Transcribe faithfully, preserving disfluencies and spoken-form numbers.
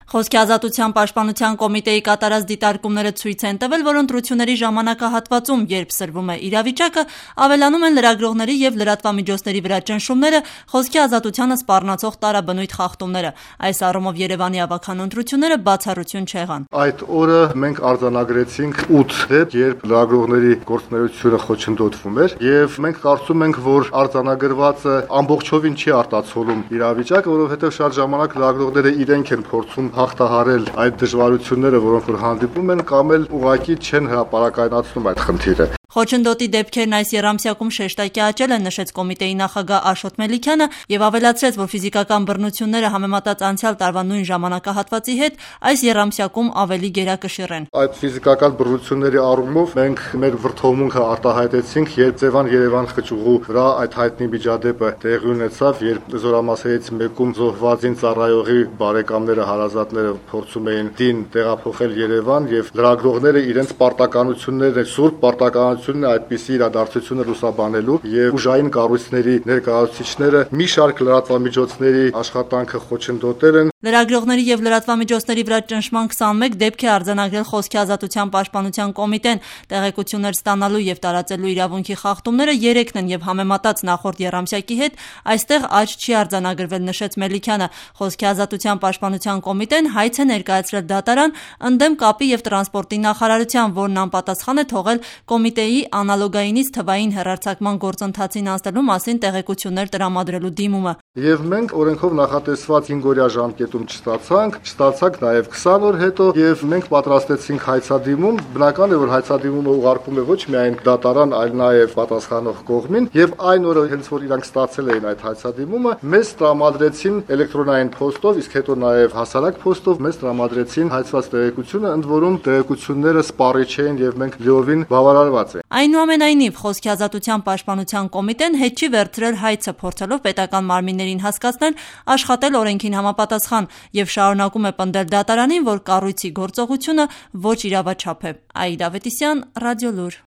Խոսքի ազատության պաշտպանության կոմիտեի կատարած դիտարկումները ցույց են տվել, որ ընտրությունների ժամանակահատվածում, երբ սրվում է իրավիճակը, ավելանում են լրագրողների և լրատվամիջոցների վրա ճնշումները, խոսքի ազատությանը սպառնացող տարաբնույթ խախտումները։ Այս առումով Երևանի ավագան ընտրությունները բացառություն չեղան։ Այդ օրը մենք արձանագրեցինք ութ դեպք, երբ լրագրողների գործունեությունը խոչընդոտվում էր, եւ մենք կարծում ենք, որ արձանագրվածը ամբողջովին չի արտացոլում իրավիճակը, որովհետեւ շատ ժամանակ լրագրողները իրենք են փորձում հաղթահարել այդ դժվարությունները, որոնք որ հանդիպում են, կամ էլ ուղղակի չեն հրապարակայնացնում այդ խնդիրը։ Խոչընդոտի դեպքերն այս եռամսյակում շեշտակի աճել են, նշեց կոմիտեի նախագահ Աշոտ Մելիքյանը եւ ավելացրեց, որ ֆիզիկական բռնությունները համեմատած անցյալ տարվա նույն ժամանակահատվածի հետ այս եռամսյակում ավելի գերակշիռ են։ Այդ ֆիզիկական բռնությունների առումով մենք մեր վրթովմունքը արտահայտեցինք, երբ Ձևան Երևան խճուղու վրա այդ հայտնի միջադեպը տեղի ունեցավ, երբ զորամասերից մեկում զոհվածին ծառայողի բարեկամները, հարազատները փորձում էին դին տեղափոխել Երևան եւ լրագրողները իրենց պարտականությունները, սուրբ պարտականությունները այդպիսի իրադարձությունը լուսաբանելու եւ ուժային կառույցների ներկայացուցիչները մի շարք լրատվամիջոցների աշխատանքը խոչընդոտել են։ Լրագրողների եւ լրատվամիջոցների վրա ճնշման քսանմեկ դեպք է արձանագրել Խոսքի ազատության պաշտպանության կոմիտեն։ Տեղեկություններ ստանալու եւ տարածելու իրավունքի խախտումները երեքն են եւ համեմատած նախորդ եռամսյակի հետ այստեղ աճ չի արձանագրվել, նշեց Մելիքյանը։ Խոսքի ազատության պաշտպանության կոմիտեն հայց է ներկայացրել դատարան ընդդեմ կապի եւ տրանսպորտի նախարարության, որն անպատասխան է թողել կոմիտեի անալոգայինից թվային հեռարձակման գործընթացին անցնելու մասին տեղեկություններ տրամադրելու դիմումը։ Եվ մենք օրենքով նախատեսված հինգ օրյա ժամկետում չստացանք, չստացանք նաև քսան օր հետո եւ մենք պատրաստեցինք հայցադիմում։ Բնական է, որ հայցադիմումը ուղարկում է ոչ միայն դատարան, այլ նաև պատասխանող կողմին, եւ այն օրը հենց որ իրանք ստացել էին այդ հայցադիմումը, մեզ տրամադրեցին էլեկտրոնային փոստով, իսկ հետո նաև հասարակ փոստով մեզ տրամադրեցին հայցված տեղեկությունը, ընդ որում տեղեկությունները սպառիչ էին եւ մենք լիովին բավարարված ենք։ Այնուամենայնիվ, Խոսքի ազատության պաշտպանության կոմիտեն հետ չի վերցրել հայցը, փորձելով պետական մարմիններին հասկացնել աշխատել օրենքին համապատասխան եւ շարունակում է պնդել դատարանին, որ կառույցի գործողությունը ոչ իրավաչափ է։ Աիդա Ավետիսյան, Ռադիոլուր։